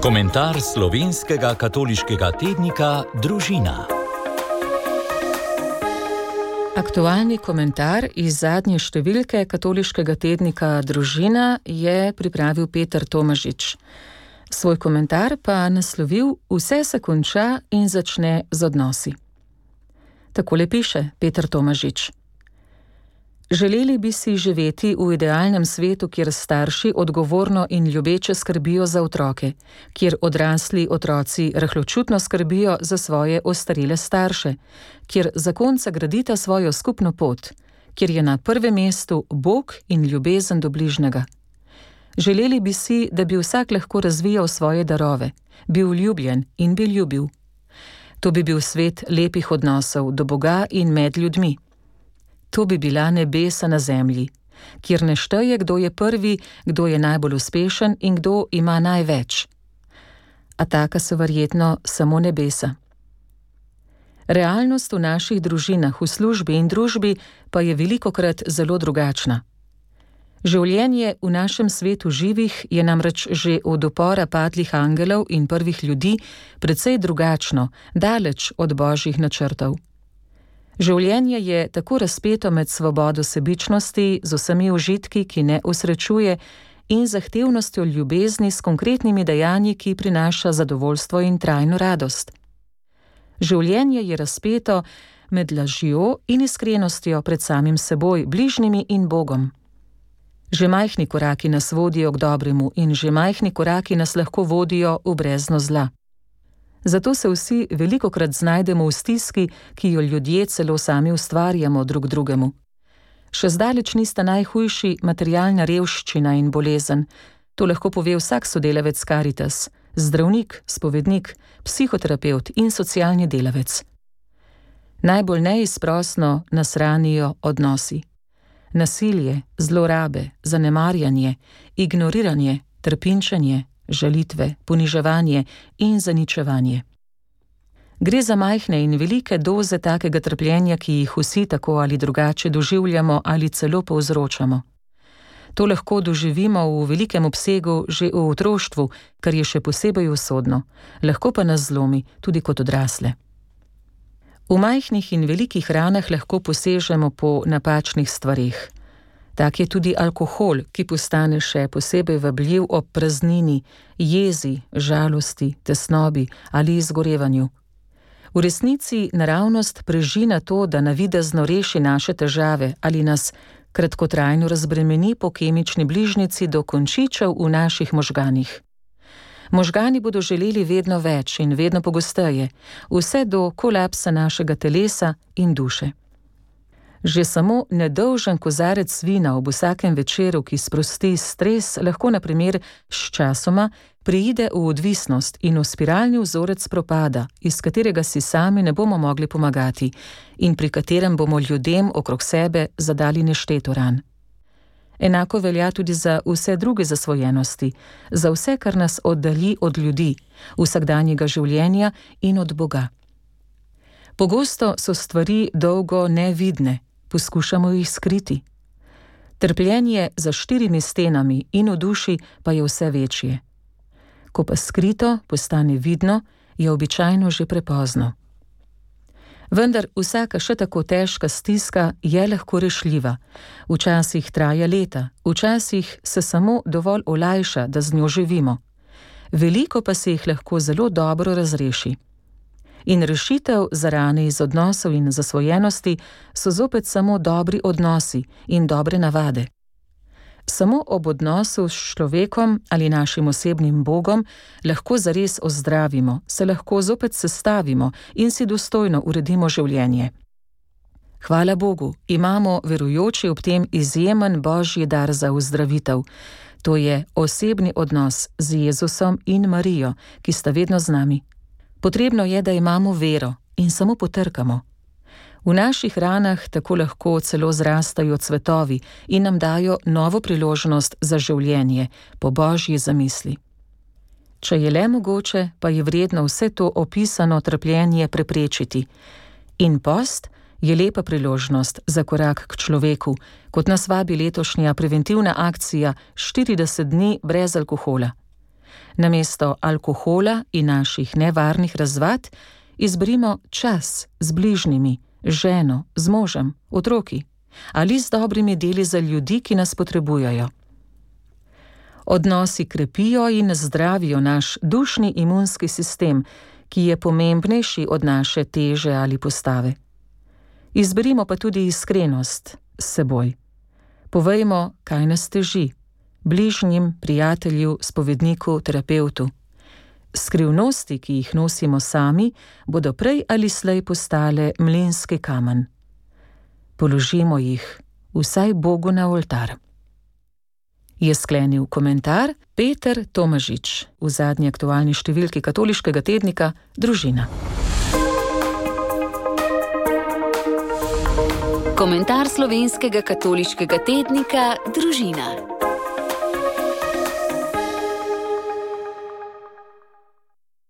Komentar slovenskega katoliškega tednika Družina. Aktualni komentar iz zadnje številke katoliškega tednika Družina je pripravil Peter Tomažič. Svoj komentar pa naslovil Vse se konča in začne z odnosi. Takole piše Peter Tomažič. Želeli bi si živeti v idealnem svetu, kjer starši odgovorno in ljubeče skrbijo za otroke, kjer odrasli otroci rahločutno skrbijo za svoje ostarele starše, kjer zakonca gradita svojo skupno pot, kjer je na prvem mestu Bog in ljubezen do bližnjega. Želeli bi si, da bi vsak lahko razvijal svoje darove, bil ljubljen in bi ljubil. To bi bil svet lepih odnosov do Boga in med ljudmi. To bi bila nebesa na zemlji, kjer ne šteje, kdo je prvi, kdo je najbolj uspešen in kdo ima največ. A taka so verjetno samo nebesa. Realnost v naših družinah, v službi in družbi pa je velikokrat zelo drugačna. Življenje v našem svetu živih je namreč že od upora padlih angelov in prvih ljudi precej drugačno, daleč od božjih načrtov. Življenje je tako razpeto med svobodo sebičnosti z vsemi užitki, ki ne osrečuje, in zahtevnostjo ljubezni s konkretnimi dejanji, ki prinaša zadovoljstvo in trajno radost. Življenje je razpeto med lažjo in iskrenostjo pred samim seboj, bližnjimi in Bogom. Že majhni koraki nas vodijo k dobremu in že majhni koraki nas lahko vodijo v brezno zla. Zato se vsi velikokrat znajdemo v stiski, ki jo ljudje celo sami ustvarjamo drug drugemu. Še zdaleč nista najhujši materialna revščina in bolezen. To lahko pove vsak sodelavec Karitas, zdravnik, spovednik, psihoterapevt in socialni delavec. Najbolj neizprosno nas ranijo odnosi. Nasilje, zlorabe, zanemarjanje, ignoriranje, trpinčenje, žalitve, poniževanje in zaničevanje. Gre za majhne in velike doze takega trpljenja, ki jih vsi tako ali drugače doživljamo ali celo povzročamo. To lahko doživimo v velikem obsegu že v otroštvu, kar je še posebej usodno, lahko pa nas zlomi tudi kot odrasle. V majhnih in velikih ranah lahko posežemo po napačnih stvareh. Tak je tudi alkohol, ki postane še posebej vabljiv ob praznini, jezi, žalosti, tesnobi ali izgorevanju. V resnici naravnost preži na to, da navidezno reši naše težave ali nas kratkotrajno razbremeni po kemični bližnjici do končičev v naših možganih. Možgani bodo želeli vedno več in vedno pogosteje, vse do kolapsa našega telesa in duše. Že samo nedolžen kozarec vina ob vsakem večeru, ki sprosti stres, lahko na primer s časoma preide v odvisnost in v spiralni vzorec propada, iz katerega si sami ne bomo mogli pomagati in pri katerem bomo ljudem okrog sebe zadali nešteto ran. Enako velja tudi za vse druge zasvojenosti, za vse, kar nas oddalji od ljudi, vsakdanjega življenja in od Boga. Pogosto so stvari dolgo nevidne, poskušamo jih skriti. Trpljenje za 4 stenami in v duši pa je vse večje. Ko pa skrito postane vidno, je običajno že prepozno. Vendar vsaka še tako težka stiska je lahko rešljiva. Včasih traja leta, včasih se samo dovolj olajša, da z njo živimo. Veliko pa se jih lahko zelo dobro razreši. In rešitev za rane iz odnosov in zasvojenosti so zopet samo dobri odnosi in dobre navade. Samo ob odnosu s človekom ali našim osebnim Bogom lahko zares ozdravimo, se lahko zopet sestavimo in si dostojno uredimo življenje. Hvala Bogu, imamo verujoči ob tem izjemen božji dar za ozdravitev. To je osebni odnos z Jezusom in Marijo, ki sta vedno z nami. Potrebno je, da imamo vero in samo potrkamo. V naših ranah tako lahko celo zrastajo cvetovi in nam dajo novo priložnost za življenje po božji zamisli. Če je le mogoče, pa je vredno vse to opisano trpljenje preprečiti. In post je lepa priložnost za korak k človeku, kot nas vabi letošnja preventivna akcija 40 dni brez alkohola. Namesto alkohola in naših nevarnih razvad izberimo čas z bližnjimi, z ženo, z možem, otroki ali z dobrimi deli za ljudi, ki nas potrebujejo. Odnosi krepijo in zdravijo naš dušni imunski sistem, ki je pomembnejši od naše teže ali postave. Izberimo pa tudi iskrenost s seboj. Povejmo, kaj nas teži, bližnjim, prijatelju, spovedniku, terapevtu. Skrivnosti, ki jih nosimo sami, bodo prej ali slej postale mlinski kamen. Položimo jih vsaj Bogu na oltar. Je sklenil komentar Peter Tomažič v zadnji aktualni številki katoliškega tednika Družina. Komentar slovenskega katoliškega tednika Družina.